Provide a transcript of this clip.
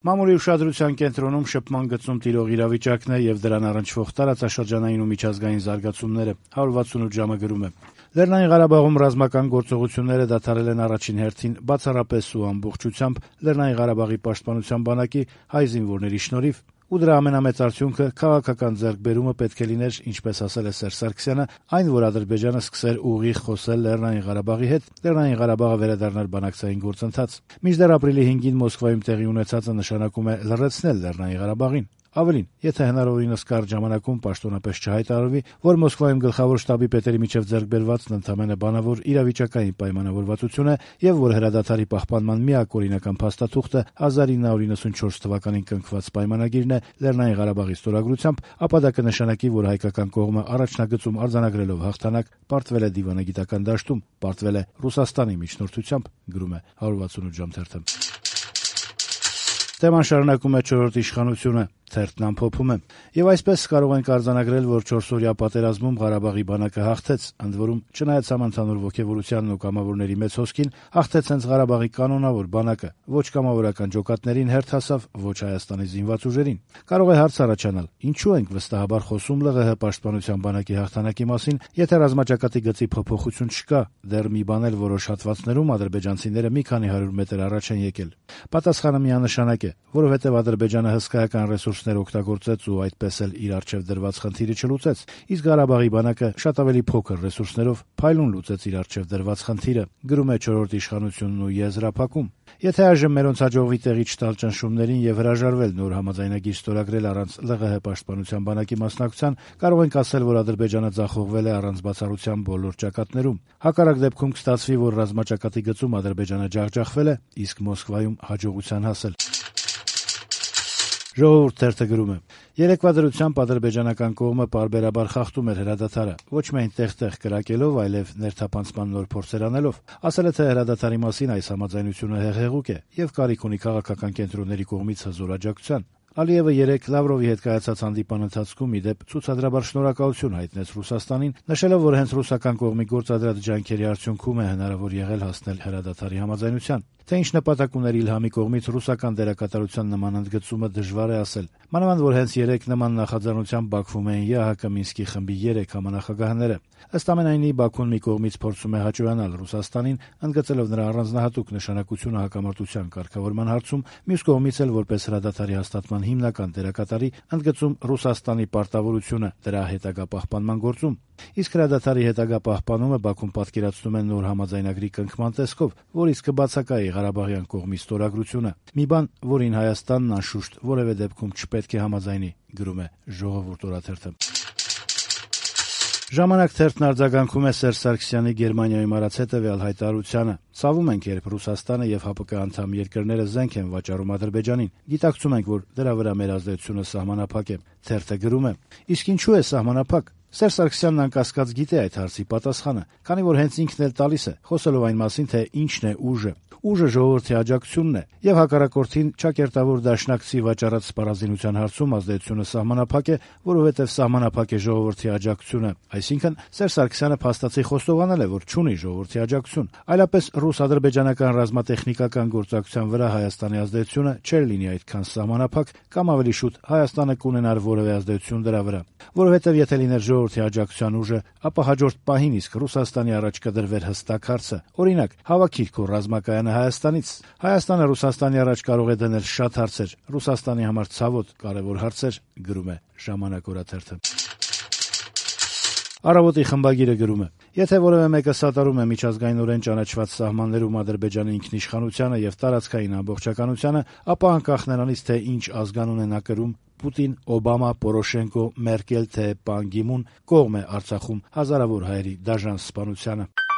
Մամուլի ուշադրության կենտրոնում շփման գծում տիրող իրավիճակն է եւ դրան առնչվող տարածաշրջանային ու միջազգային զարգացումները։ 168 ժամը գրում է. Լեռնային Ղարաբաղում ռազմական գործողությունները դադարել են առաջին հերթին բացառապես ու ամբողջությամբ Լեռնային Ղարաբաղի պաշտպանության բանակի հայ զինվորների շնորհիվ, ու դրա ամենամեծ արդյունքը քաղաքական ձեռքբերումը պետք է լիներ, ինչպես ասել է Սերժ Սարգսյանը, այն, որ Ադրբեջանը սկսեր ուղիղ խոսել Լեռնային Ղարաբաղի հետ, Լեռնային Ղարաբաղը վերադառնար բանակցային գործընթաց։ Մինչդեռ ապրիլի 5-ին Մոսկվայում տեղի ունեցածը նշանակում է լռեցնել Լեռնային Ղարաբաղին։ Ավելին, եթե հնարավորինս կարճ ժամանակում պաշտոնապես չհայտարարվի, որ Մոսկվայում գլխավոր շտաբի պետերի միջև ձեռք բերվածն ընդամենը բանավոր իրավիճակային պայմանավորվածություն է եւ որ հրադադարի պահպանման միակ օրինական փաստաթուղթը 1994 թվականին կնքված պայմանագիրն է Լեռնային Ղարաբաղի ստորագրությամբ, ապա դա կնշանակի, որ հայկական կողմը առաջնագծում արձանագրելով հաղթանակ պարտվել է դիվանագիտական դաշտում, պարտվել է Ռուսաստանի միջնորդությամբ, գրում է 168 ժամ թերթը։ Թեման շարունակում է չորրորդ իշխանությունը, թերթն ամփոփում է. եւ այսպես կարող ենք արձանագրել, որ 4-օրյա պատերազմում Ղարաբաղի բանակը հաղթեց, ընդ որում չնայած համընդհանուր ոգևորությանն ու կամավորների մեծ հոսքին, հաղթեց հենց Ղարաբաղի կանոնավոր բանակը, ոչ կամավորական ջոկատներին հերթ հասավ, ոչ Հայաստանի զինված ուժերին։ Կարող է հարց առաջանալ. ինչու ենք վստահաբար խոսում ԼՂՀ պաշտպանության բանակի հաղթանակի մասին, եթե ռազմաճակատի գծի փոփոխություն չկա, դեռ մի բան էլ որոշ հատվածներում ադրբեջանցիները մի քանի 100 մետր առաջ են եկել։ Պատասխանը միանշանակ է, որովհետև Ադրբեջանը հսկայական ռեսուրսներ օգտագործեց ու այդպես էլ իր առջև դրված խնդիրը չլուծեց, իսկ Ղարաբաղի բանակը շատ ավելի փոքր ռեսուրսներով փայլուն լուծեց իր առջև դրված խնդիրը, գրում է չորրորդ իշխանությունն ու եզրափակում։ Եթե այժմ մերոնց հաջողվի տեղի չտալ ճնշումներին եւ հրաժարվել նոր համաձայնագիր ստորագրել առանց ԼՂՀ պաշտպանության բանակի մասնակցության, կարող ենք ասել, որ Ադրբեջանը ձախողվել է առանց բացառության բոլոր ճակատներում։ Հակառակ դեպքում կստացվի, որ ռազմաճակատի գծում Ադրբեջանը ջախջախվել է, իսկ Մոսկվայում հաջողության հասել։ Ժողովուրդ թերթը գրում է. երեկվա դրությամբ ադրբեջանական կողմը պարբերաբար խախտում էր հրադադարը, ոչ միայն տեղ-տեղ կրակելով, այլև ներթափանցման նոր փորձեր անելով։ Ասել է, թե հրադադարի մասին այս համաձայնությունը հեղեղուկ է եւ կարիք ունի քաղաքական կենտրոնների կողմից հզոր աջակցության։ Ալիևը երեկ Լավրովի հետ կայացած հանդիպան ընթացքում ի դեպ ցուցադրաբար շնորհակալություն հայտնեց Ռուսաստանին, նշելով, որ հենց ռուսական կողմի գործադրած ջանքերի արդյունքում է հնարավոր եղել հասնել հրադադարի համաձայնության։ Թե ինչ նպատակ ուներ Իլհամի կողմից ռուսական դերակատարության նման ընդգծումը դժվար է ասել։ Մանավանդ որ հենց երեկ նման նախաձեռնությամբ Բաքվում էին ԵԱՀԿ Մինսկի խմբի 3 համանախագահները։ Ըստ ամենայնի Բաքուն մի կողմից փորձում է հաճոյանալ Ռուսաստանին, ընդգծելով նրա առանձնահատուկ նշանակությունը հակամարտության կարգավորման հարցում, մյուս կողմից էլ որպես հրադադարի հաստատման հիմնական դերակատարի ընդգծում Ռուսաստանի պարտավորությունը դրա հետագա պահպանման գործում։ Իսկ հրադադարի հետագա պահպանումը Բաքուն պատկերացնում է նոր համաձայնագրի կնքման տեսքով, որից կբացակայի Ղարաբաղյան կողմի ստորագրությունը։ Մի բան, որին Հայաստանն անշուշտ որևէ դեպքում չպետք է համաձայնի, գրում է Ժողովուրդ օրաթերթը։ Ժամանակ թերթն արձագանքում է Սերժ Սարգսյանի Գերմանիայում արած հետևյալ հայտարարությանը. «Ցավում ենք, երբ Ռուսաստանը եւ ՀԱՊԿ անդամ երկրները զենք են վաճառում Ադրբեջանին։ Գիտակցում ենք, որ դրա վրա մեր ազդեցությունը սահմանափակ է»։ Թերթը գրում է. իսկ ինչու է սահմանափակ։ Սերժ Սարգսյանն անկասկած գիտե այդ հարցի պատասխանը, քանի որ հենց ինքն էլ տալիս է, խոսելով այն մասին, թե ինչն է ուժը։ Ուժը ժողովրդի աջակցությունն է, եւ հակառակորդին ճակերտավոր դաշնակցի վաճառած սպառազինության հարցում ազդեցությունը սահմանափակ է, որովհետեւ սահմանափակ է ժողովրդի աջակցությունը։ Այսինքն Սերժ Սարգսյանը փաստացի խոստովանել է, որ չունի ժողովրդի աջակցություն, այլապես ռուս-ադրբեջանական ռազմատեխնիկական գործակցության վրա Հայաստանի ազդեցությունը չէր լինի այդքան սահմանափակ, կամ ավելի շուտ Հայաստանը կունենար որևէ ազդեցություն դրա վրա։ Որովհետեւ եթե լիներ ժողովրդի աջակցության ուժը, ապա հաջորդ պահին իսկ Ռուսաստանի առաջ կդրվեր հստակ հարցը. օրինակ, հավաքիր քո ռազմակայանը Հայաստանից։ Հայաստանը Ռուսաստանի առաջ կարող է դնել շատ հարցեր, Ռուսաստանի համար ցավոտ կարևոր հարցեր, գրում է Ժամանակ օրաթերթը։ Առավոտի խմբագիրը գրում է. եթե որևէ մեկը սատարում է միջազգայինորեն ճանաչված սահմաններում Ադրբեջանի ինքնիշխանությանը եւ տարածքային ամբողջականությանը, ապա անկախ նրանից, թե ինչ ազգանուն է նա կրում, Պուտին, Օբամա, Պորոշենկո, Մերկել, թե Պան Գի Մուն, կողմ է Արցախում հազարավոր հայերի դաժան սպանությանը։